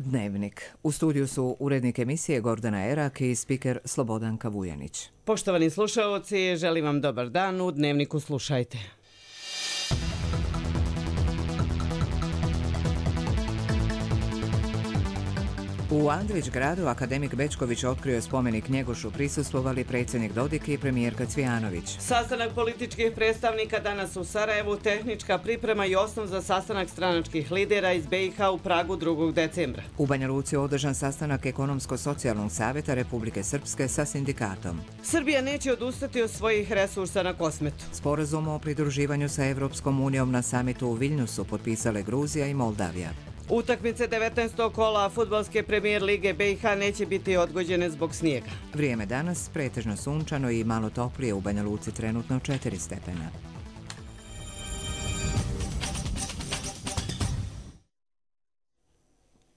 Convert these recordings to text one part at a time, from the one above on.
Dnevnik. U studiju su urednik emisije Gordana Erak i spiker Slobodanka Vujanić. Poštovani slušaoci, želim vam dobar dan. U Dnevniku slušajte. U Andrićgradu akademik Bećković otkrio spomenik Njegošu, prisustvovali predsjednik Dodik i premijerka Cvijanović. Sastanak političkih predstavnika danas u Sarajevu, tehnička priprema i osnov za sastanak stranačkih lidera iz BiH u Pragu 2. decembra. U Banja Luci održan sastanak Ekonomsko-socijalnog savjeta Republike Srpske sa sindikatom. Srbija neće odustati od svojih resursa na Kosmetu. Sporazum o pridruživanju sa Evropskom unijom na samitu u Viljnusu potpisale Gruzija i Moldavija. Utakmice 19. kola fudbalske premijer lige BiH neće biti odgođene zbog snijega. Vrijeme danas pretežno sunčano i malo toplije, u Banja Luci trenutno 4 stepena.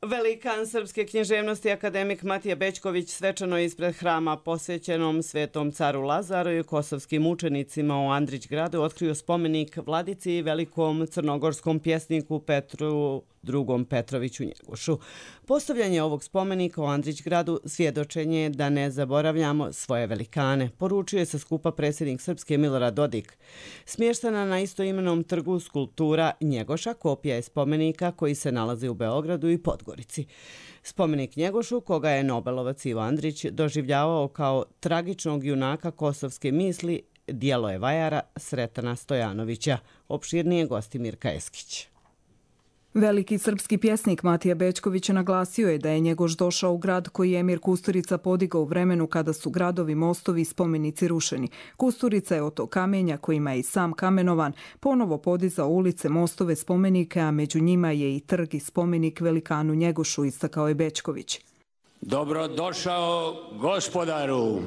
Velikan srpske književnosti akademik Matija Bećković svečano ispred hrama posvećenom Svetom caru Lazaru i kosovskim učenicima u Andrićgradu otkrio spomenik vladici i velikom crnogorskom pjesniku Petru II. Petroviću Njegošu. Postavljanje ovog spomenika u Andrićgradu svjedočenje je da ne zaboravljamo svoje velikane, poručuje se skupa predsjednik Srpske Milorad Dodik. Smještena na istoimenom trgu skulptura Njegoša kopija je spomenika koji se nalazi u Beogradu i Podgorici. Spomenik Njegošu, koga je Nobelovac Ivo Andrić doživljavao kao tragičnog junaka kosovske misli, djelo je vajara Sretana Stojanovića. Opširnije gosti Mirka Eskić. Veliki srpski pjesnik Matija Bećković naglasio je da je Njegoš došao u grad koji je Emir Kusturica podigao u vremenu kada su gradovi, mostovi i spomenici rušeni. Kusturica je od tog kamenja, kojima je i sam kamenovan, ponovo podizao ulice, mostove, spomenike, a među njima je i trg i spomenik velikanu Njegošu, istakao je Bećković. Dobrodošao, gospodaru,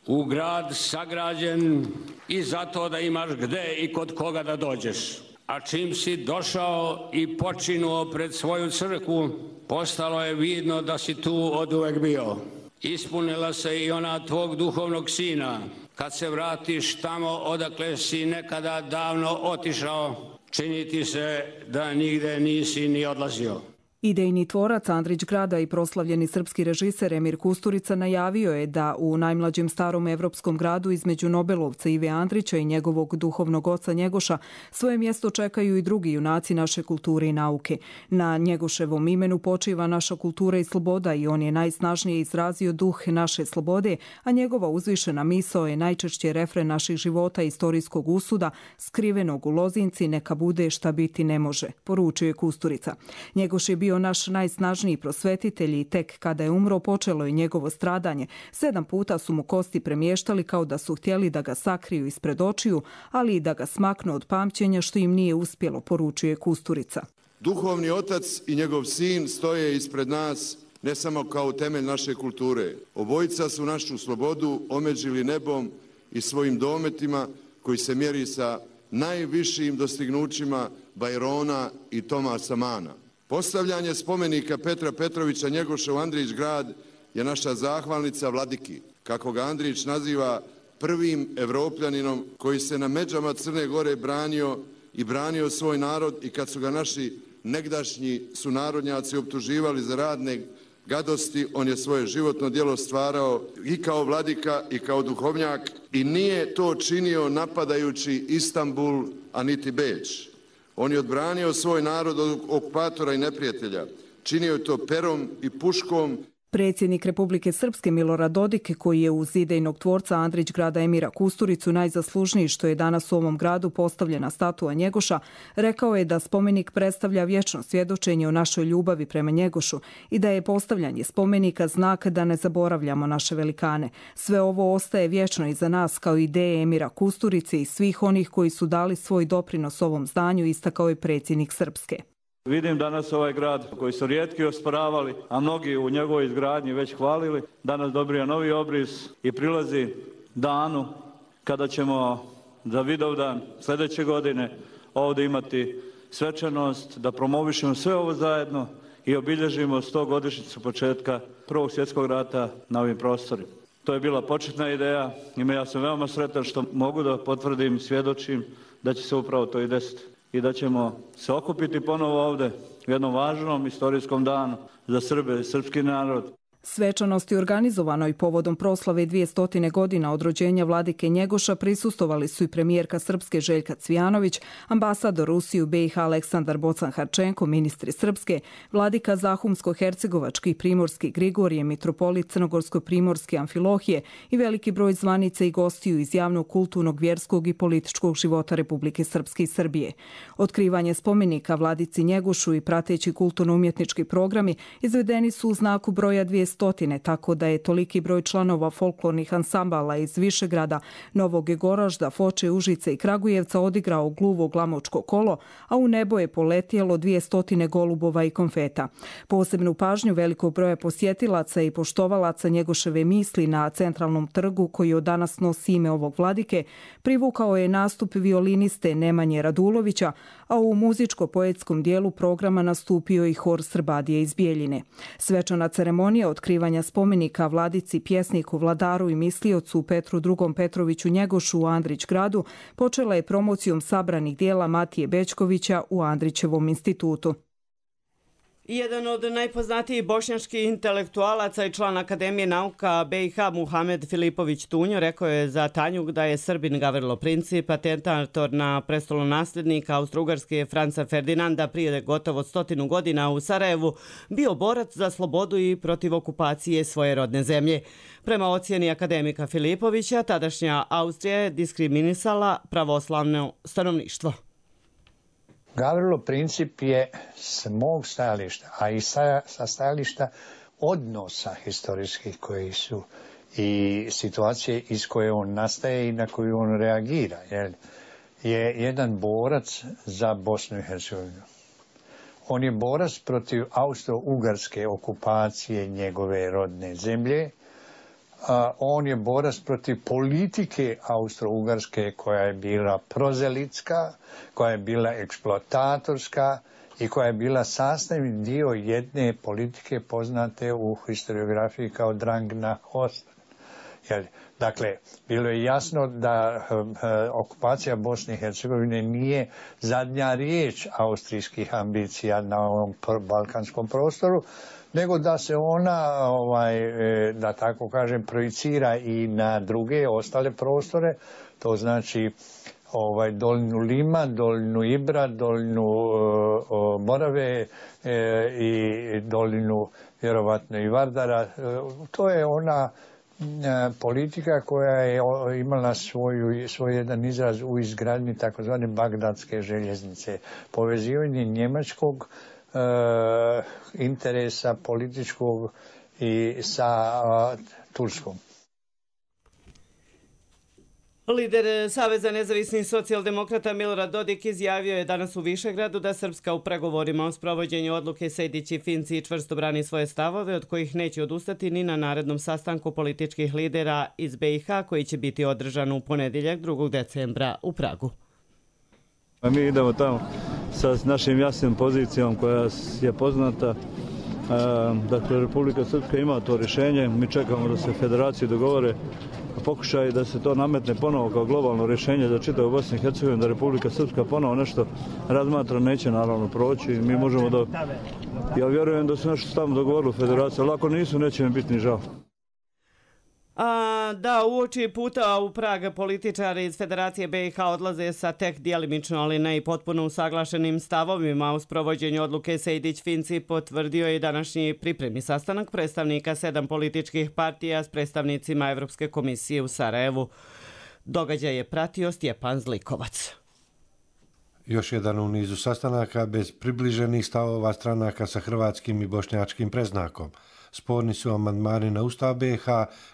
u grad sagrađen i zato da imaš gde i kod koga da dođeš. A čim si došao i počinuo pred svoju crkvu, postalo je vidno da si tu oduvek bio. Ispunila se i ona tvog duhovnog sina. Kad se vratiš tamo odakle si nekada davno otišao, čini ti se da nigde nisi ni odlazio. Idejni tvorac Andrićgrada i proslavljeni srpski režiser Emir Kusturica najavio je da u najmlađem starom evropskom gradu između Nobelovca Ive Andrića i njegovog duhovnog oca Njegoša svoje mjesto čekaju i drugi junaci naše kulture i nauke. Na Njegoševom imenu počiva naša kultura i sloboda i on je najsnažnije izrazio duh naše slobode, a njegova uzvišena misao je najčešće refren naših života i istorijskog usuda, skrivenog u lozinci, neka bude šta biti ne može, poručio je Kusturica. Njegoš je bio naš najsnažniji prosvetitelj i tek kada je umro počelo je njegovo stradanje. 7 puta su mu kosti premještali kao da su htjeli da ga sakriju ispred očiju, ali i da ga smaknu od pamćenja, što im nije uspjelo, poručuje Kusturica. Duhovni otac i njegov sin stoje ispred nas ne samo kao temelj naše kulture. Obojica su našu slobodu omeđili nebom i svojim dometima koji se mjeri sa najvišim dostignućima Bajrona i Tomasa Mana. Postavljanje spomenika Petra Petrovića Njegoša u Andrićgrad je naša zahvalnica vladiki, kako ga Andrić naziva prvim Evropljaninom koji se na međama Crne Gore branio svoj narod i kad su ga naši negdašnji sunarodnjaci optuživali za radne gadosti, on je svoje životno djelo stvarao i kao vladika i kao duhovnjak i nije to činio napadajući Istanbul, a niti Beč. On je odbranio svoj narod od okupatora i neprijatelja. Činio je to perom i puškom. Predsjednik Republike Srpske Milorad Dodik, koji je uz idejnog tvorca Andrićgrada Emira Kusturicu najzaslužniji što je danas u ovom gradu postavljena statua Njegoša, rekao je da spomenik predstavlja vječno svjedočenje o našoj ljubavi prema Njegošu i da je postavljanje spomenika znak da ne zaboravljamo naše velikane. Sve ovo ostaje vječno iza nas kao ideje Emira Kusturice i svih onih koji su dali svoj doprinos ovom zdanju, istakao je predsjednik Srpske. Vidim danas ovaj grad koji su rijetki osporavali, a mnogi u njegovoj izgradnji već hvalili, danas dobija novi obris i prilazi danu kada ćemo za Vidovdan sljedeće godine ovdje imati svečanost, da promovišemo sve ovo zajedno i obilježimo 100-godišnjicu početka Prvog svjetskog rata na ovim prostorima. To je bila početna ideja i ja sam veoma sretan što mogu da potvrdim, svjedočim da će se upravo to i desiti. i da ćemo se okupiti ponovo ovdje u jednom važnom istorijskom danu za Srbe i srpski narod. Svečanosti organizovanoj povodom proslave 200 godina od rođenja vladike Njegoša prisustvovali su i premijerka Srpske Željka Cvijanović, ambasador Rusije u BiH Aleksandar Bocan-Harčenko, ministri Srpske, vladika Zahumsko-Hercegovački i Primorski Grigorije, mitropolit Crnogorsko-Primorske Amfilohije i veliki broj zvanica i gostiju iz javnog, kulturnog, vjerskog i političkog života Republike Srpske i Srbije. Otkrivanje spomenika vladici Njegošu i prateći kulturno-umjetnički programi izvedeni su u znaku broja 200, tako da je toliki broj članova folklornih ansambala iz Višegrada, Novog Goražda, Foče, Užice i Kragujevca odigrao gluvo glamočko kolo, a u nebo je poletjelo 200 golubova i konfeta. Posebnu pažnju velikog broja posjetilaca i poštovalaca Njegoševe misli na centralnom trgu, koji od danas nosi ime ovog vladike, privukao je nastup violiniste Nemanje Radulovića, a u muzičko-poetskom dijelu programa nastupio i hor Srbadije iz Bijeljine. Svečana ceremonija otkrivanja spomenika vladici, pjesniku, vladaru i misliocu Petru II. Petroviću Njegošu u Andrićgradu počela je promocijom sabranih dijela Matije Bećkovića u Andrićevom institutu. Jedan od najpoznatijih bošnjačkih intelektualaca i član Akademije nauka BiH Muhamed Filipović Tunjo rekao je za Tanjug da je Srbin Gavrilo Princip, atentator na prestolonasljednika Austro-Ugarske Franca Ferdinanda prije gotovo 100 godina u Sarajevu, bio borac za slobodu i protiv okupacije svoje rodne zemlje. Prema ocjeni akademika Filipovića, tadašnja Austrija je diskriminisala pravoslavno stanovništvo. Gavrilo Princip je s mog stajališta, a i sa stajališta odnosa historijskih koji su i situacije iz koje on nastaje i na koju on reagira, je jedan borac za Bosnu i Hercegovinu. On je borac protiv austro-ugarske okupacije njegove rodne zemlje. On je borac protiv politike austro-ugarske koja je bila prozelitska, koja je bila eksploatatorska i koja je bila sastavni dio jedne politike poznate u historiografiji kao drang nach Osten. Dakle, bilo je jasno da okupacija Bosne i Hercegovine nije zadnja riječ austrijskih ambicija na ovom balkanskom prostoru, nego da se ona, da tako kažem, projicira i na druge ostale prostore, to znači Dolnju Lima, Dolnju Ibra, Dolnju Morave i Dolinu vjerovatno i Vardara. To je ona politika koja je imala svoj jedan izraz u izgradnji takozvane Bagdadske željeznice. Povezivanje njemačkog interesa političkog i sa Turskom. Lider Saveza nezavisnih socijaldemokrata Milorad Dodik izjavio je danas u Višegradu da Srpska u pregovorima o sprovođenju odluke Sejdić i Finci čvrsto brani svoje stavove, od kojih neće odustati ni na narednom sastanku političkih lidera iz BiH koji će biti održan u ponedjeljak 2. decembra u Pragu. Mi idemo tamo sa našim jasnim pozicijom koja je poznata. Dakle, Republika Srpska ima to rješenje. Mi čekamo da se federacije dogovore. Pokušaj da se to nametne ponovo kao globalno rješenje za čitavu Bosnu i Hercegovinu, da Republika Srpska ponovo nešto razmatra, neće naravno proći. Mi možemo da... Ja vjerujem da su nešto tamo dogovorili u federaciji, ali ako nisu, neće mi biti ni žao. Da, uoči puta u Prag političari iz Federacije BiH odlaze sa tek djelimično, ali ne i potpuno usaglašenim stavovima u sprovođenju odluke Sejdić-Finci, potvrdio je današnji pripremni sastanak predstavnika 7 političkih partija s predstavnicima Evropske komisije u Sarajevu. Događaj je pratio Stjepan Zlikovac. Još jedan u nizu sastanaka bez približenih stavova stranaka sa hrvatskim i bošnjačkim predznakom. Sporni su amandmani na Ustav BiH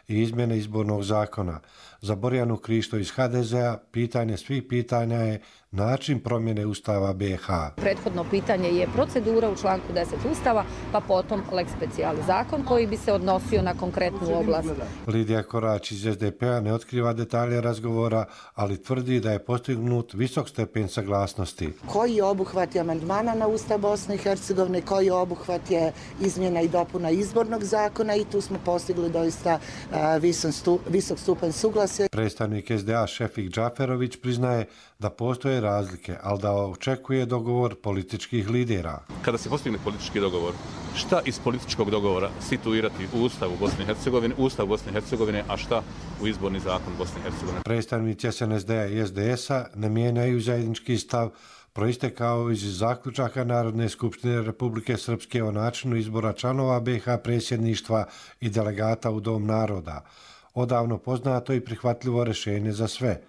i izmjene izbornog zakona. Za Borjanu Krišto iz HDZ-a pitanje svih pitanja je način promjene Ustava BiH. Prethodno pitanje je procedura u članku 10 Ustava, pa potom lex specialis zakon koji bi se odnosio na konkretnu oblast. Lidija Korać iz SDP-a ne otkriva detalje razgovora, ali tvrdi da je postignut visok stepen saglasnosti. Koji je obuhvat amandmana na Ustav Bosne i Hercegovine, koji je obuhvat je izmjena i dopuna izbornog izbornog zakona i tu smo postigli doista visok stupanj suglasja. Predstavnik SDA Šefik Džaferović priznaje da postoje razlike, ali da očekuje dogovor političkih lidera. Kada se postigne politički dogovor, šta iz političkog dogovora situirati u Ustavu Bosne i Hercegovine, Ustav Bosne i Hercegovine, a šta u izborni zakon Bosne i Hercegovine? Predstavnici SNSD-a i SDS-a ne mijenjaju zajednički stav proistekao iz zaključaka Narodne skupštine Republike Srpske o načinu izbora članova BiH predsjedništva i delegata u Dom naroda. Odavno poznato i prihvatljivo rješenje za sve.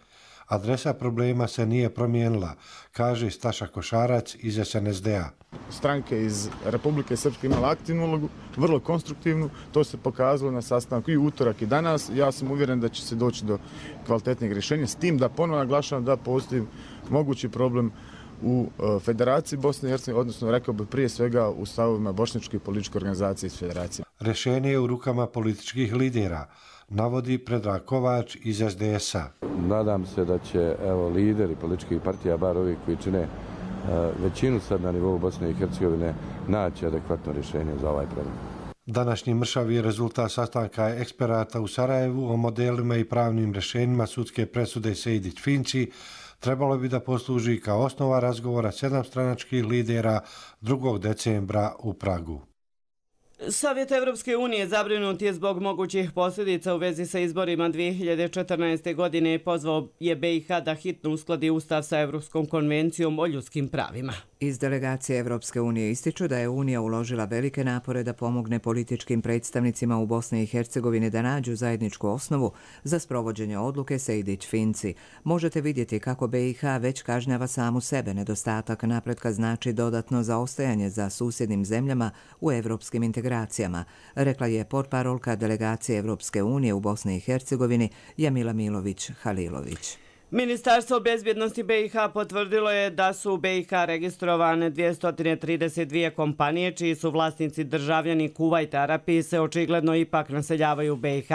Adresa problema se nije promijenila, kaže Staša Košarac iz SNSD-a. Stranke iz Republike Srpske imala aktivnu ulogu, vrlo konstruktivnu, to se pokazalo na sastanku i utorak i danas. Ja sam uvjeren da će se doći do kvalitetnih rješenja, s tim da ponovno naglašavam da postoji mogući problem u Federaciji Bosne i Hercegovine, odnosno rekao bih prije svega u stavovima bošnjačke i političke organizacije iz Federacije. Rješenje je u rukama političkih lidera, navodi Predrag Kovač iz SDS-a. Nadam se da će lideri političkih partija, bar ovi koji čine većinu sad na nivou Bosne i Hercegovine, naći adekvatno rješenje za ovaj problem. Današnji mršav je rezultat sastanka eksperata u Sarajevu o modelima i pravnim rješenjima sudske presude Sejdić-Finci. Trebalo bi da posluži kao osnova razgovora 7 stranačkih lidera 2. decembra u Pragu. Savjet Evropske unije zabrinut je zbog mogućih posljedica u vezi sa izborima 2014. godine i pozvao je BiH da hitno uskladi ustav sa Evropskom konvencijom o ljudskim pravima. Iz delegacije Evropske unije ističu da je Unija uložila velike napore da pomogne političkim predstavnicima u Bosni i Hercegovini da nađu zajedničku osnovu za sprovođenje odluke Sejdić-Finci. Možete vidjeti kako BiH već kažnjava samu sebe. Nedostatak napretka znači dodatno zaostajanje za susjednim zemljama u evropskim integracijama, rekla je portparolka delegacije Evropske unije u Bosni i Hercegovini Jamila Milović-Halilović. Ministarstvo bezbjednosti BiH potvrdilo je da su u BiH registrovane 232 kompanije čiji su vlasnici državljani Kuvajta. Arapiji se očigledno ipak naseljavaju u BiH.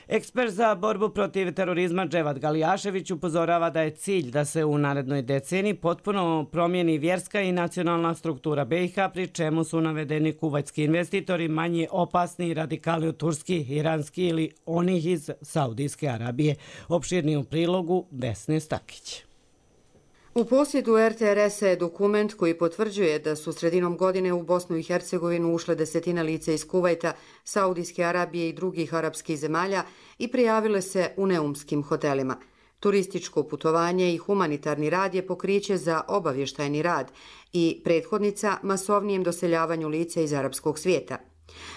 Ekspert za borbu protiv terorizma Dževad Galijašević upozorava da je cilj da se u narednoj deceniji potpuno promijeni vjerska i nacionalna struktura BiH, pri čemu su navedeni kuvajtski investitori manje opasni radikali od turski, iranski ili onih iz Saudijske Arabije. Opširni u prilogu Vesne Stakić. U posjedu RTRS-a je dokument koji potvrđuje da su sredinom godine u Bosnu i Hercegovinu ušle desetine lica iz Kuvajta, Saudijske Arabije i drugih arapskih zemalja i prijavile se u neumskim hotelima. Turističko putovanje i humanitarni rad je pokriće za obavještajni rad i prethodnica masovnijem doseljavanju lica iz arapskog svijeta.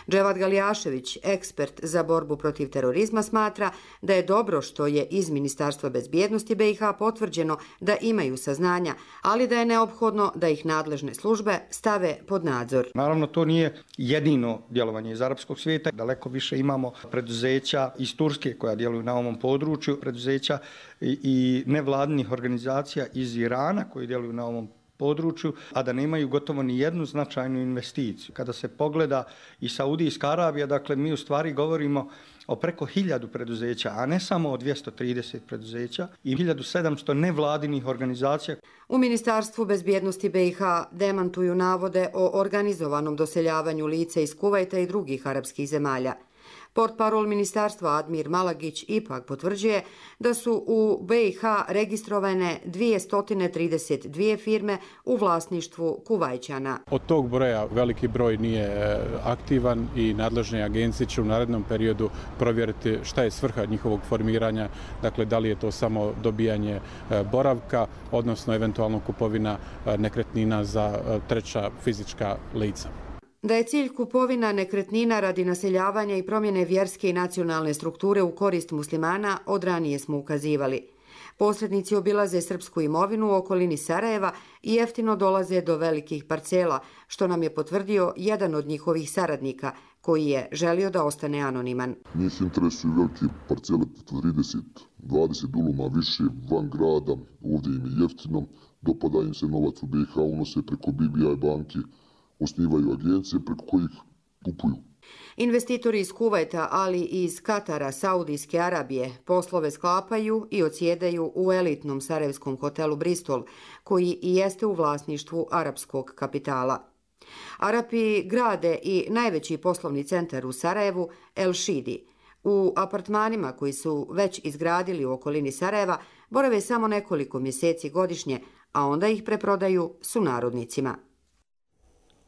Dževad Galijašević, ekspert za borbu protiv terorizma, smatra da je dobro što je iz Ministarstva bezbjednosti BiH potvrđeno da imaju saznanja, ali da je neophodno da ih nadležne službe stave pod nadzor. Naravno, to nije jedino djelovanje iz arapskog svijeta. Daleko više imamo preduzeća iz Turske koja djeluju na ovom području, preduzeća i nevladinih organizacija iz Irana koji djeluju na ovom području, a da nemaju gotovo ni jednu značajnu investiciju. Kada se pogleda i Saudijska Arabija, dakle mi u stvari govorimo o preko 1000 preduzeća, a ne samo o 230 preduzeća i 1700 nevladinih organizacija. U Ministarstvu bezbjednosti BiH demantuju navode o organizovanom doseljavanju lica iz Kuvajta i drugih arapskih zemalja. Portparol ministarstva Admir Malagić ipak potvrđuje da su u BiH registrovane 232 firme u vlasništvu Kuvajćana. Od tog broja veliki broj nije aktivan i nadležne agencije će u narednom periodu provjeriti šta je svrha njihovog formiranja, dakle da li je to samo dobijanje boravka, odnosno eventualno kupovina nekretnina za treća fizička lica. Da je cilj kupovina nekretnina radi naseljavanja i promjene vjerske i nacionalne strukture u korist muslimana, od ranije smo ukazivali. Posrednici obilaze srpsku imovinu u okolini Sarajeva i jeftino dolaze do velikih parcela, što nam je potvrdio jedan od njihovih saradnika, koji je želio da ostane anoniman. Njih interesuju velike parcele po 30, 20 duluma više van grada, ovdje im je jeftino, dopada im se novac u BiH, unose preko BBI banki, osnivaju agencije preko kojih kupuju. Investitori iz Kuvajta, ali i iz Katara, Saudijske Arabije, poslove sklapaju i odsjedaju u elitnom sarajevskom hotelu Bristol, koji i jeste u vlasništvu arapskog kapitala. Arapi grade i najveći poslovni centar u Sarajevu, El Šidi. U apartmanima koji su već izgradili u okolini Sarajeva borave samo nekoliko mjeseci godišnje, a onda ih preprodaju sunarodnicima.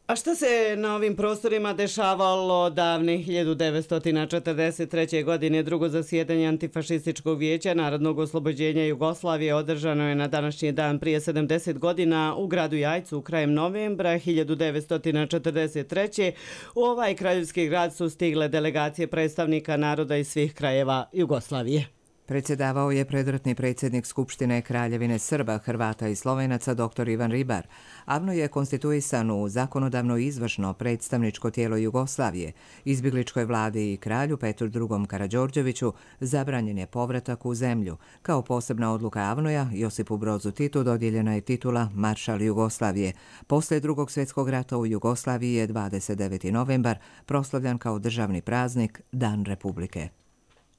A šta se na ovim prostorima dešavalo davne 1943. godine? Drugo zasjedanje Antifašističkog vijeća Narodnog oslobođenja Jugoslavije održano je na današnji dan prije 70 godina u gradu Jajcu krajem novembra 1943. U ovaj kraljevski grad su stigle delegacije predstavnika naroda iz svih krajeva Jugoslavije. Predsjedavao je predratni predsjednik Skupštine Kraljevine Srba, Hrvata i Slovenaca dr. Ivan Ribar. AVNO je konstituisan u zakonodavno izvršno predstavničko tijelo Jugoslavije. Izbjegličkoj vladi i kralju Petru II. Karađorđeviću zabranjen je povratak u zemlju. Kao posebna odluka AVNO-ja, Josipu Brozu Titu dodijeljena je titula Maršal Jugoslavije. Poslije Drugog svjetskog rata u Jugoslaviji je 29. novembar proslavljan kao državni praznik Dan Republike.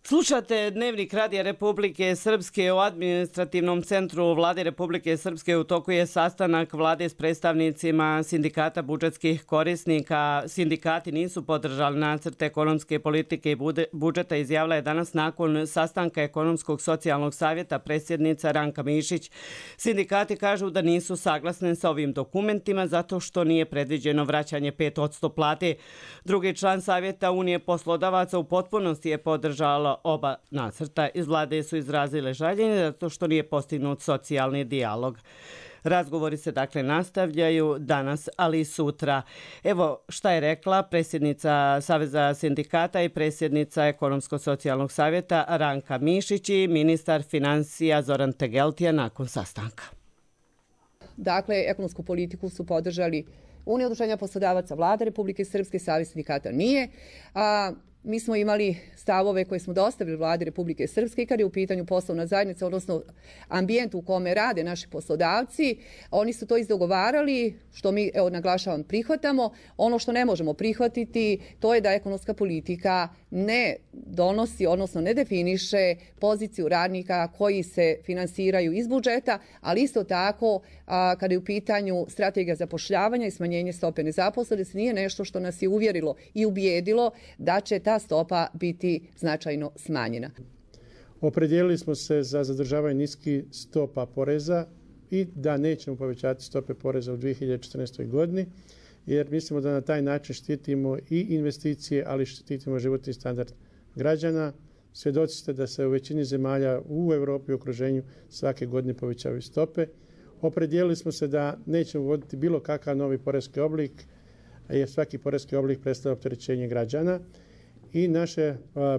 Slušate Dnevnik Radija Republike Srpske. U administrativnom centru Vlade Republike Srpske u toku je sastanak vlade s predstavnicima sindikata budžetskih korisnika. Sindikati nisu podržali nacrt ekonomske politike i budžeta, izjavila je danas nakon sastanka Ekonomskog socijalnog savjeta predsjednica Ranka Mišić. Sindikati kažu da nisu saglasni sa ovim dokumentima zato što nije predviđeno vraćanje 5% plate. Drugi član savjeta Unije poslodavaca u potpunosti je podržala oba nacrta. Iz vlade su izrazile žaljenje zato što nije postignut socijalni dijalog. Razgovori se dakle nastavljaju danas, ali i sutra. Evo šta je rekla predsjednica Saveza sindikata i predsjednica Ekonomsko-socijalnog savjeta Ranka Mišić i ministar financija Zoran Tegeltija nakon sastanka. Dakle, ekonomsku politiku su podržali Unija udruženja poslodavaca, Vlada Republike Srpske, Savez sindikata nije. Mi smo imali stavove koje smo dostavili Vladi Republike Srpske i kad je u pitanju poslovna zajednica, odnosno ambijent u kome rade naši poslodavci. Oni su to izdogovarali, što mi, naglašavam, prihvatamo. Ono što ne možemo prihvatiti, to je da ekonomska politika ne donosi, odnosno ne definiše poziciju radnika koji se finansiraju iz budžeta, ali isto tako kada je u pitanju strategija zapošljavanja i smanjenje stope nezaposlenosti nije nešto što nas je uvjerilo i ubijedilo da će ta stopa biti značajno smanjena. Opredijelili smo se za zadržavanje niskih stopa poreza i da nećemo povećati stope poreza u 2014. godini, jer mislimo da na taj način štitimo i investicije, ali štitimo životni standard građana. Svjedoci ste da se u većini zemalja u Europi i okruženju svake godine povećavaju stope. Opredijelili smo se da nećemo uvoditi bilo kakav novi poreski oblik, jer svaki poreski oblik predstavlja opterećenje građana. I naše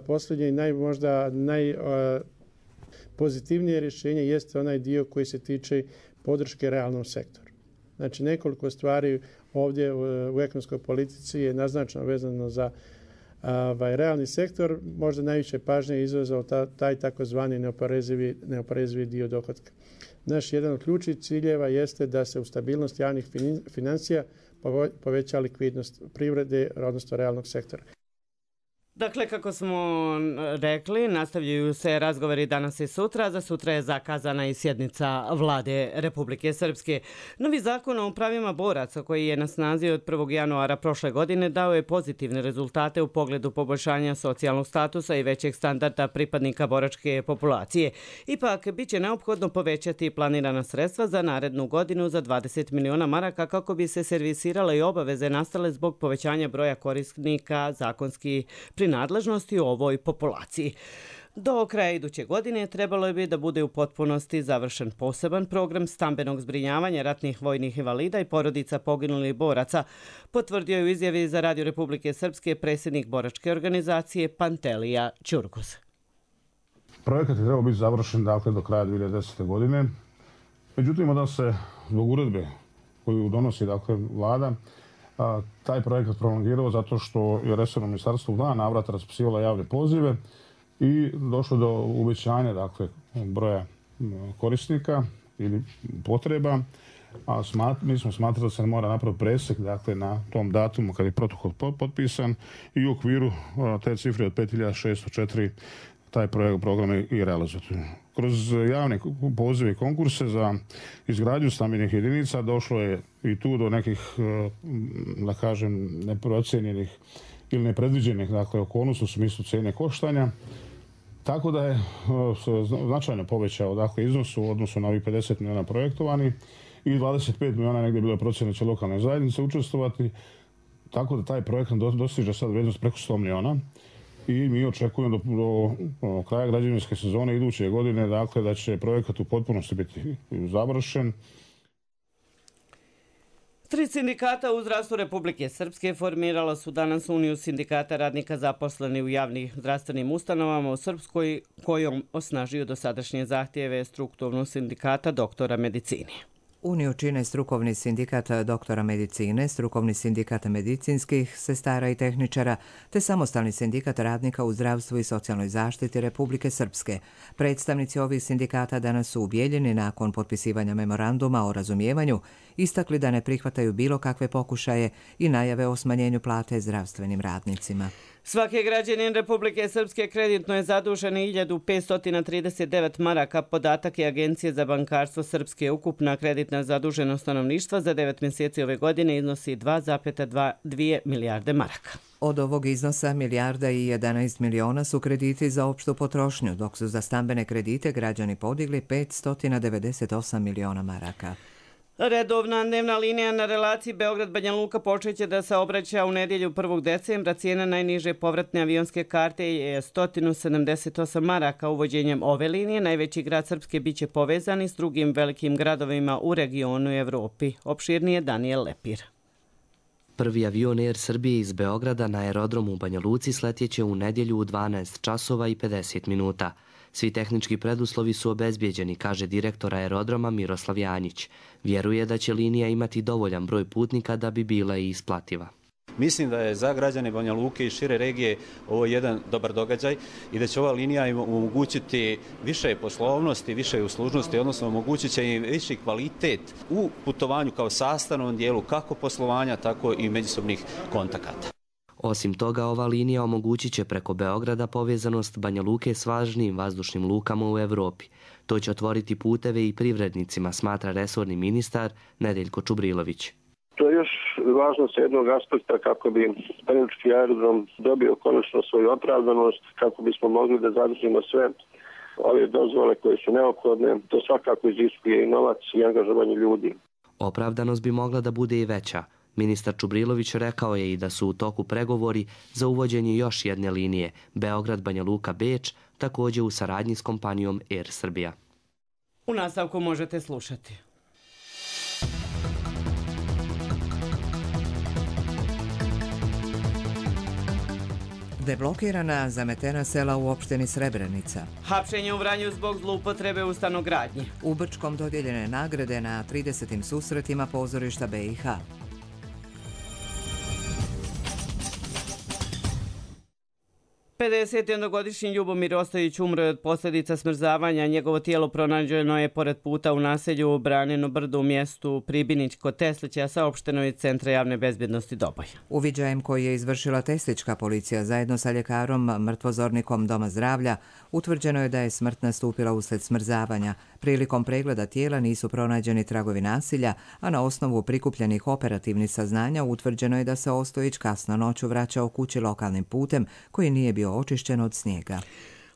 posljednje i možda najpozitivnije rješenje jeste onaj dio koji se tiče podrške realnom sektoru. Znači nekoliko stvari ovdje u ekonomskoj politici je naznačeno vezano za realni sektor. Možda najviše pažnje izazvao taj takozvani neoporezivi dio dohotka. Naš jedan od ključnih ciljeva jeste da se u stabilnost javnih financija poveća likvidnost privrede, odnosno realnog sektora. Dakle, kako smo rekli, nastavljaju se razgovori danas i sutra. Za sutra je zakazana i sjednica Vlade Republike Srpske. Novi zakon o pravima boraca koji je na snazi od 1. januara prošle godine dao je pozitivne rezultate u pogledu poboljšanja socijalnog statusa i većeg standarda pripadnika boračke populacije. Ipak, bit će neophodno povećati planirana sredstva za narednu godinu za 20 miliona maraka kako bi se servisirale i obaveze nastale zbog povećanja broja korisnika zakonski nadležnosti u ovoj populaciji. Do kraja iduće godine trebalo bi da bude u potpunosti završen poseban program stambenog zbrinjavanja ratnih vojnih invalida i porodica poginulih boraca, potvrdio je u izjavi za Radio Republike Srpske predsjednik boračke organizacije Pantelija Ćurkoz. Projekat je trebao biti završen do kraja 2010. godine. Međutim, da se zbog uredbe koju donosi vlada, taj projekat prolongirao zato što je resorno ministarstvo u 2 navrata raspisivalo javne pozive i došlo do uvećanja broja korisnika ili potreba. A mi smo smatrali da se mora napraviti presek na tom datumu kad je protokol potpisan i u okviru te cifre od 5604 taj program je i realizovati. kroz javne pozive i konkurse za izgradnju stambenih jedinica došlo je i tu do nekih, da kažem, neprocijenjenih ili nepredviđenih, dakle, okolnosti u smislu cijene koštanja. Tako da je značajno povećao, dakle, iznos u odnosu na ovih 50 milijuna projektovani i 25 milijuna negdje bilo je procjena će lokalne zajednice učestvovati. Tako da taj projekt dostiže sad vrijednost preko 100 milijuna i mi očekujemo do kraja građevinske sezone iduće godine, dakle, da će projekat u potpunosti biti završen. 3 sindikata u zdravstvu Republike Srpske formirala su danas Uniju sindikata radnika zaposleni u javnim zdravstvenim ustanovama u Srpskoj, kojom osnažuju dosadašnje zahtjeve strukturnog sindikata doktora medicine. Uniju čine strukovni sindikat doktora medicine, strukovni sindikat medicinskih sestara i tehničara, te samostalni sindikat radnika u zdravstvu i socijalnoj zaštiti Republike Srpske. Predstavnici ovih sindikata danas su u Bijeljini nakon potpisivanja memoranduma o razumijevanju istakli da ne prihvataju bilo kakve pokušaje i najave o smanjenju plate zdravstvenim radnicima. Svaki građanin Republike Srpske kreditno je zadužen 1539 maraka. Podatak je Agencije za bankarstvo Srpske. Ukupna kreditna zaduženost stanovništva za 9 mjeseci ove godine iznosi 2,2 milijarde maraka. Od ovog iznosa 1 milijarda i 11 miliona su krediti za opštu potrošnju, dok su za stambene kredite građani podigli 598 miliona maraka. Redovna dnevna linija na relaciji Beograd-Banja Luka počeće da se obraća u nedjelju 1. decembra. Cijena najniže povratne avionske karte je 178 maraka. Uvođenjem ove linije najveći grad Srpske biće povezani s drugim velikim gradovima u regionu i Evropi. Opširnije Daniel Lepir. Prvi avion Air Srbije iz Beograda na aerodromu u Banja Luci sletjeće u nedjelju u 12 časova i 50 minuta. Svi tehnički preduslovi su obezbijeđeni, kaže direktor aerodroma Miroslav Janjić. Vjeruje da će linija imati dovoljan broj putnika da bi bila i isplativa. Mislim da je za građane Banja Luke i šire regije ovo jedan dobar događaj i da će ova linija im omogućiti više poslovnosti, više uslužnosti, odnosno omogućit će im viši kvalitet u putovanju kao sastavnom dijelu kako poslovanja, tako i međusobnih kontakata. Osim toga, ova linija omogućit će preko Beograda povezanost Banja Luke s važnijim vazdušnim lukama u Evropi. To će otvoriti puteve i privrednicima, smatra resorni ministar Nedeljko Čubrilović. To je još važno sa jednog aspekta kako bi Banjalučki aerodrom dobio konačno svoju opravdanost, kako bismo mogli da zadržimo sve ove dozvole koje su neophodne. To svakako iziskuje i novac i angažovanje ljudi. Opravdanost bi mogla da bude i veća. Ministar Čubrilović rekao je i da su u toku pregovori za uvođenje još jedne linije Beograd-Banja Luka-Beč, također u saradnji s kompanijom Air Srbija. U nastavku možete slušati. Deblokirana zametena sela u opštini Srebrenica. Hapšenje u Vranju zbog zloupotrebe u stanogradnji. U Brčkom dodijeljene nagrade na 30. susretima pozorišta BiH. 51-godišnji Ljubomir Ostojić umro je od posljedica smrzavanja. Njegovo tijelo pronađeno je pored puta u naselju Branino brdo u mjestu Pribinić kod Teslića, saopšteno iz Centra javne bezbjednosti Doboj. Uviđajem koji je izvršila Teslička policija zajedno sa ljekarom mrtvozornikom Doma zdravlja, utvrđeno je da je smrt nastupila usled smrzavanja. Prilikom pregleda tijela nisu pronađeni tragovi nasilja, a na osnovu prikupljenih operativnih saznanja utvrđeno je da se Ostojić kasno noću vraćao kući lokalnim putem koji nije bio očišćen od snijega.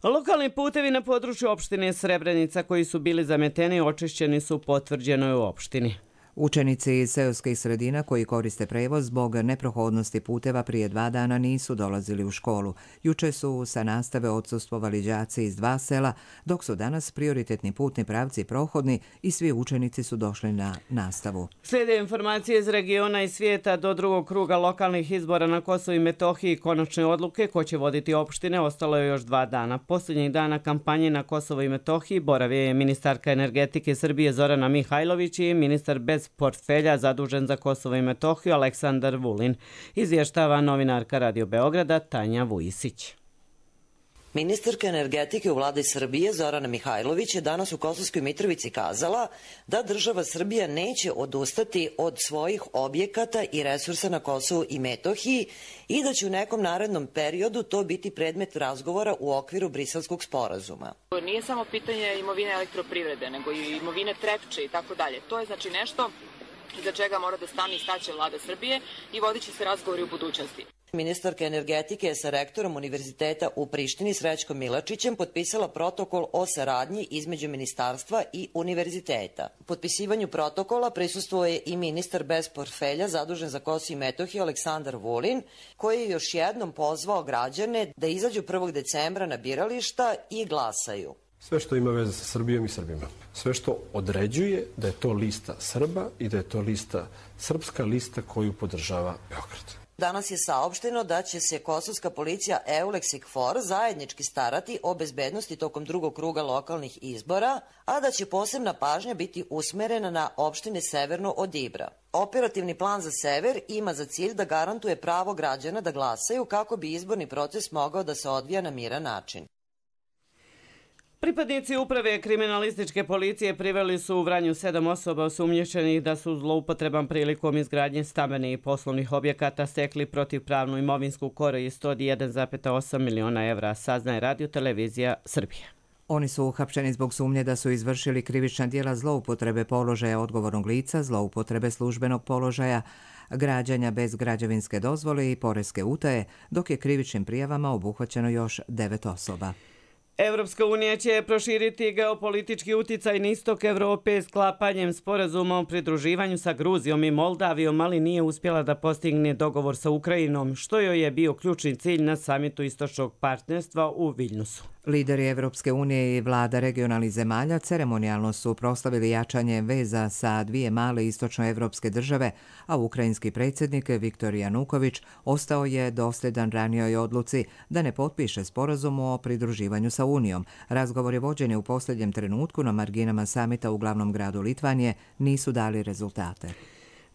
Lokalni putevi na području opštine Srebrenica koji su bili zameteni očišćeni su, potvrđeno je u opštini. Učenici iz seoskih sredina koji koriste prevoz zbog neprohodnosti puteva prije 2 dana nisu dolazili u školu. Juče su sa nastave odsustvovali đaci iz 2 sela, dok su danas prioritetni putni pravci prohodni i svi učenici su došli na nastavu. Slijede informacije iz regiona i svijeta. Do drugog kruga lokalnih izbora na Kosovu i Metohiji konačne odluke ko će voditi opštine ostalo je još 2 dana. Posljednjih dana kampanje na Kosovu i Metohiji boravio je ministarka energetike Srbije Zorana Mihajlović i ministar bez portfelja zadužen za Kosovo i Metohiju Aleksandar Vulin, izvještava novinarka Radio Beograda Tanja Vujisić. Ministarka energetike u vladi Srbije Zorana Mihajlović je danas u Kosovskoj Mitrovici kazala da država Srbija neće odustati od svojih objekata i resursa na Kosovu i Metohiji i da će u nekom narednom periodu to biti predmet razgovora u okviru Briselskog sporazuma. Nije samo pitanje imovine elektroprivrede, nego i imovine Trepče i tako dalje. To je znači nešto iza čega mora da stane i staće vlada Srbije i vodit će se razgovori u budućnosti. Ministarka energetike je sa rektorom Univerziteta u Prištini Srećkom Milačićem potpisala protokol o saradnji između ministarstva i univerziteta. Potpisivanju protokola prisustvuje i ministar bez portfelja zadužen za Kosovo i Metohiju Aleksandar Vulin, koji je još jednom pozvao građane da izađu 1. decembra na birališta i glasaju. Sve što ima veze sa Srbijom i Srbima. Sve što određuje da je to lista Srba i da je to srpska lista koju podržava Beograd. Danas je saopšteno da će se kosovska policija EULEX i KFOR zajednički starati o bezbednosti tokom drugog kruga lokalnih izbora, a da će posebna pažnja biti usmerena na opštine severno od Ibra. Operativni plan za sever ima za cilj da garantuje pravo građana da glasaju kako bi izborni proces mogao da se odvija na miran način. Pripadnici uprave kriminalističke policije priveli su u Vranju 7 osoba osumnjičenih da su zloupotrebom prilikom izgradnje stambenih i poslovnih objekata stekli protivpravnu imovinsku korist od 1,8 miliona evra, saznaje Radio televizija Srbije. Oni su uhapšeni zbog sumnje da su izvršili krivična djela zloupotrebe položaja odgovornog lica, zloupotrebe službenog položaja, građanja bez građevinske dozvole i poreske utaje, dok je krivičnim prijavama obuhvaćeno još 9 osoba. Evropska unija će proširiti geopolitički uticaj na istok Evrope sklapanjem sporazuma o pridruživanju sa Gruzijom i Moldavijom, ali nije uspjela da postigne dogovor sa Ukrajinom, što joj je bio ključni cilj na samitu istočnog partnerstva u Viljnusu. Lideri Evropske unije i vlada regionalnih zemalja ceremonijalno su proslavili jačanje veza sa dvije male istočnoevropske države, a ukrajinski predsjednik Viktor Januković ostao je dosljedan ranijoj odluci da ne potpiše sporazum o pridruživanju sa Unijom. Razgovori vođeni u posljednjem trenutku na marginama samita u glavnom gradu Litvanije nisu dali rezultate.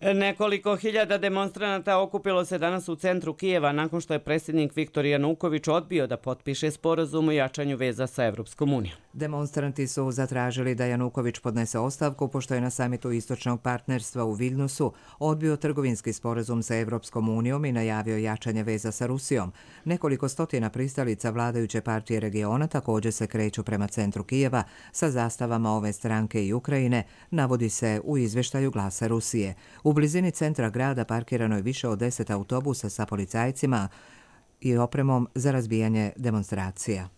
Nekoliko hiljada demonstranata okupilo se danas u centru Kijeva nakon što je predsjednik Viktor Januković odbio da potpiše sporazum o jačanju veza sa Evropskom unijom. Demonstranti su zatražili da Januković podnese ostavku pošto je na samitu istočnog partnerstva u Viljnusu odbio trgovinski sporazum sa Evropskom unijom i najavio jačanje veza sa Rusijom. Nekoliko stotina pristalica vladajuće partije regiona također se kreću prema centru Kijeva sa zastavama ove stranke i Ukrajine, navodi se u izvještaju Glasa Rusije. U blizini centra grada parkirano je više od 10 autobusa sa policajcima i opremom za razbijanje demonstracija.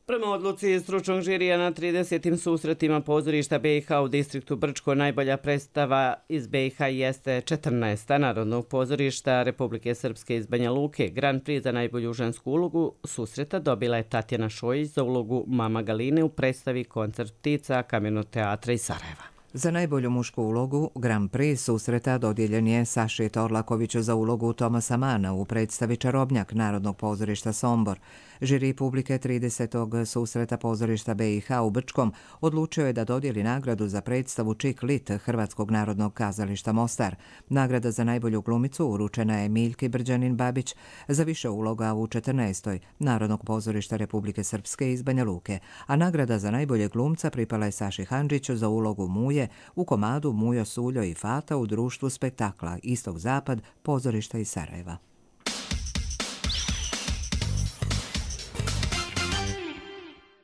Prema odluci stručnog žirija na 30. susretima pozorišta BiH u distriktu Brčko, najbolja predstava iz BiH jeste 14. Narodnog pozorišta Republike Srpske iz Banja Luke. Grand Prix za najbolju žensku ulogu susreta dobila je Tatjana Šojić za ulogu Mama Galine u predstavi Koncert ptica Kamenog teatra iz Sarajeva. Za najbolju mušku ulogu Grand Prix susreta dodijeljen je Saši Torlakoviću za ulogu Tomasa Mana u predstavi Čarobnjak Narodnog pozorišta Sombor. Žiri publike 30. susreta pozorišta BiH u Brčkom odlučio je da dodijeli nagradu za predstavu Čik Lit Hrvatskog narodnog kazališta Mostar. Nagrada za najbolju glumicu uručena je Miljki Brđanin Babić za više uloga u 14. Narodnog pozorišta Republike Srpske iz Banja Luke, a nagrada za najbolje glumca pripala je Saši Handžiću za ulogu Muje u komadu Mujo, Suljo i Fata u društvu spektakla Istok-Zapad pozorišta iz Sarajeva.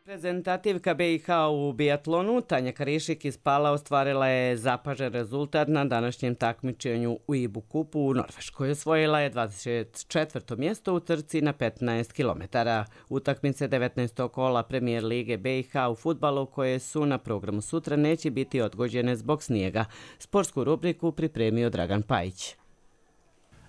Reprezentativka BiH u biatlonu Tanja Karišik iz Pala ostvarila je zapažen rezultat na današnjem takmičenju u IBU kupu u Norveškoj. Osvojila je 24. mjesto u trci na 15 km. Utakmice 19. kola Premijer Lige BiH u fudbalu koje su na programu sutra neće biti odgođene zbog snijega. Sportsku rubriku pripremio Dragan Pajić.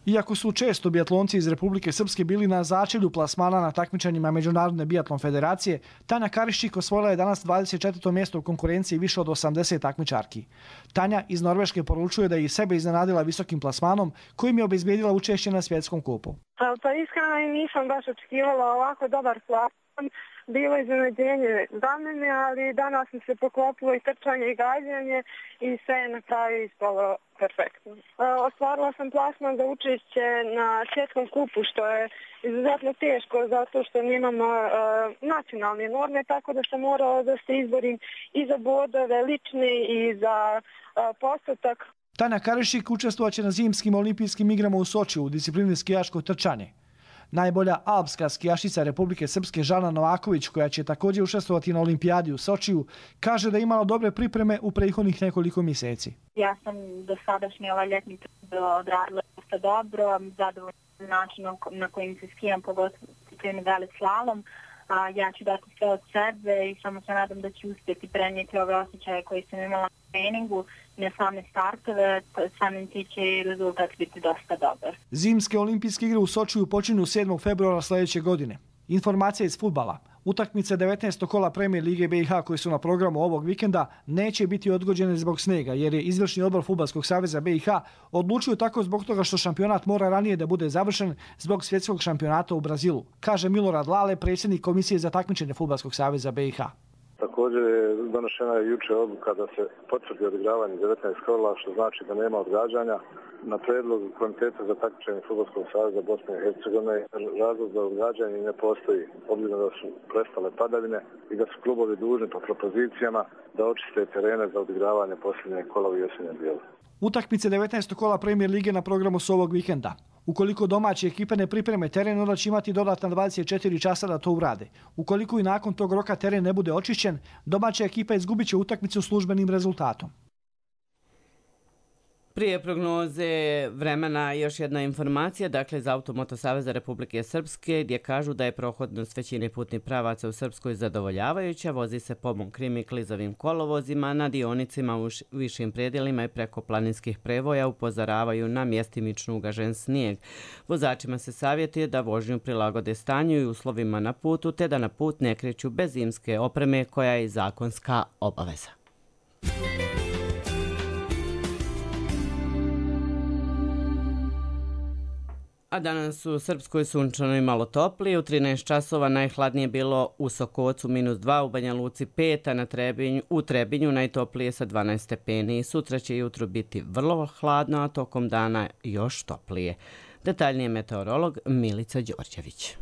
Iako su često biatlonci iz Republike Srpske bili na začelju plasmana na takmičenjima Međunarodne biatlon federacije, Tanja Karišik osvojila je danas 24. mjesto u konkurenciji više od 80 takmičarki. Tanja iz Norveške poručuje da je i sebe iznenadila visokim plasmanom kojim je obezbijedila učešće na svjetskom kupu. Pa iskreno nisam baš očekivala ovako dobar plasman. bilo iznenađenje za mene, ali danas mi se poklopilo i trčanje i gađanje i sve je na kraju ispalo perfektno. Ostvarila sam plasman za učešće na svjetskom kupu, što je izuzetno teško zato što nemamo nacionalne norme, tako da sam morala da se izborim i za bodove lične i za postotak. Tanja Karišik učestvovaće na zimskim olimpijskim igrama u Sočiju u disciplini skijaško trčanje. Najbolja alpska skijašica Republike Srpske Žana Novaković, koja će također učestvovati na olimpijadi u Sočiju, kaže da je imala dobre pripreme u prethodnih nekoliko mjeseci. Ja sam do sadašnje ljetni trud odradila dosta dobro, zadovoljna načinom na kojim se skijam, pogotovo velik slalom. Ja ću dati sve od sebe i samo se nadam da ću uspjeti prenijeti ove osjećaje koje sam imala na treningu, na same startove, samim ti će i rezultat biti dosta dobar. Zimske olimpijske igre u Sočiju počinju 7. februara sljedeće godine. Informacija iz fudbala. Utakmice 19. kola Premijer Lige BiH koji su na programu ovog vikenda neće biti odgođene zbog snega, jer je izvršni odbor Fudbalskog saveza BiH odlučio tako zbog toga što šampionat mora ranije da bude završen zbog svjetskog šampionata u Brazilu, kaže Milorad Lale, predsjednik Komisije za takmičenje Fudbalskog saveza BiH. Također je donošena jučer odluka da se potvrdi odigravanje 19 kola, što znači da nema odgađanja. Na predlog Komiteta za takmičenje Fudbalskog saveza Bosne i Hercegovine razlog za odgađanje ne postoji, obzirom da su prestale padavine i da su klubovi dužni po propozicijama da očiste terene za odigravanje posljednje kola u jesenjem dijelu. Utakmice 19. kola Premijer Lige na programu su ovog vikenda. Ukoliko domaće ekipe ne pripreme teren, onda će imati dodatna 24 časa da to urade. Ukoliko i nakon tog roka teren ne bude očišćen, domaća ekipa izgubit će utakmicu službenim rezultatom. Prije prognoze vremena još jedna informacija, dakle za Automoto Saveza Republike Srpske, gdje kažu da je prohodnost većine putnih pravaca u Srpskoj zadovoljavajuća, vozi se po mokrim i klizavim kolovozima, na dionicima u višim predjelima i preko planinskih prevoja upozoravaju na mjestimično ugažen snijeg. Vozačima se savjetuje da vožnju prilagode stanju i uslovima na putu, te da na put ne kreću bez zimske opreme koja je zakonska obaveza. A danas u Srpskoj sunčano i malo toplije. U 13 časova najhladnije bilo u Sokocu -2, u Banja Luci 5, a u Trebinju najtoplije sa 12 stepeni. Sutra će jutro biti vrlo hladno, a tokom dana još toplije. Detaljnije meteorolog Milica Đorđević.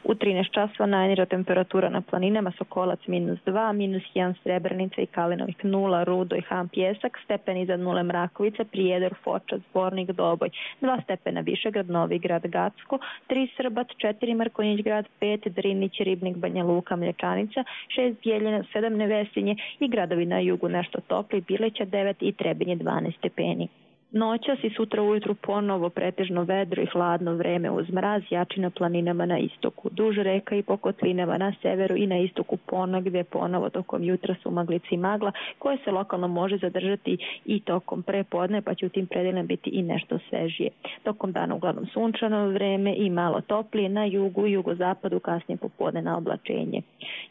U 13 časova najniža temperatura na planinama Sokolac -2, -1 Srebrenica i Kalinovik 0, Rudo i Han Pjesak, stepen iznad 0 Mrakovica, Prijedor, Foča, Zbornik, Doboj, 2 stepena Višegrad, Novi Grad, Gacko, 3 Srbac, 4 Mrkonjić Grad, 5 Drinić, Ribnik, Banja Luka, Mlječanica, 6 Bjeljina, 7 Nevesinje i gradovi na jugu nešto topli, Bileća 9 i Trebinje 12 stepeni. Noćas i sutra ujutru ponovo pretežno vedro i hladno vreme uz mraz, jači na planinama na istoku, duž reka i po kotlinama na severu i na istoku ponegdje ponovo tokom jutra su maglice i magla koje se lokalno može zadržati i tokom prepodne, pa će u tim predelima biti i nešto svežije. Tokom dana uglavnom sunčano vreme i malo toplije, na jugu i jugozapadu kasnije popodne na oblačenje.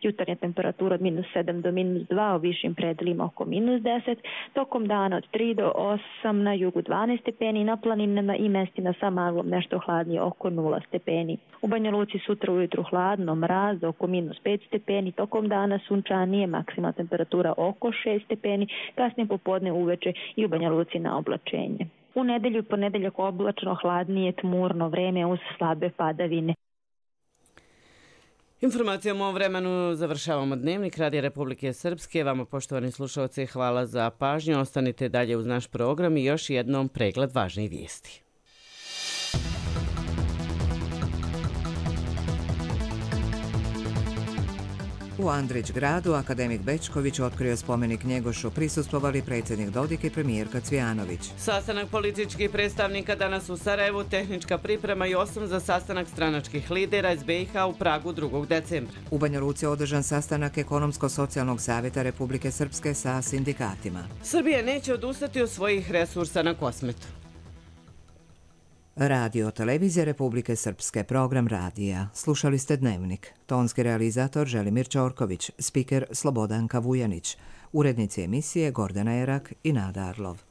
Jutarnja temperatura od -7 do -2, u višim predelima oko -10, tokom dana od 3 do 8 na jugu 12 stepeni, na planinama i mestima sa maglom nešto hladnije oko 0 stepeni. U Banja Luci sutra ujutru hladno, mraz oko -5 stepeni, tokom dana sunčanije, maksimalna temperatura oko 6 stepeni, kasnije popodne uveče i u Banja Luci na oblačenje. U nedelju i ponedeljak oblačno, hladnije, tmurno vreme uz slabe padavine. Informacijom o vremenu završavamo Dnevnik Radija Republike Srpske. Vama, poštovani slušalci, hvala za pažnju. Ostanite dalje uz naš program i još jednom pregled važnih vijesti. U Andrić gradu akademik Bečković otkrio spomenik Njegošu, prisustvovali predsjednik Dodik i premijerka Cvijanović. Sastanak političkih predstavnika danas u Sarajevu, tehnička priprema i osnov za sastanak stranačkih lidera iz BiH u Pragu 2. decembra. U Banja Luci je održan sastanak Ekonomsko-socijalnog savjeta Republike Srpske sa sindikatima. Srbija neće odustati od svojih resursa na Kosmetu. Radio Televizija Republike Srpske, program radija. Slušali ste Dnevnik. Tonski realizator Želimir Ćorković, spiker Slobodanka Vujanić, urednici emisije Gordana Erak i Nada Arlov.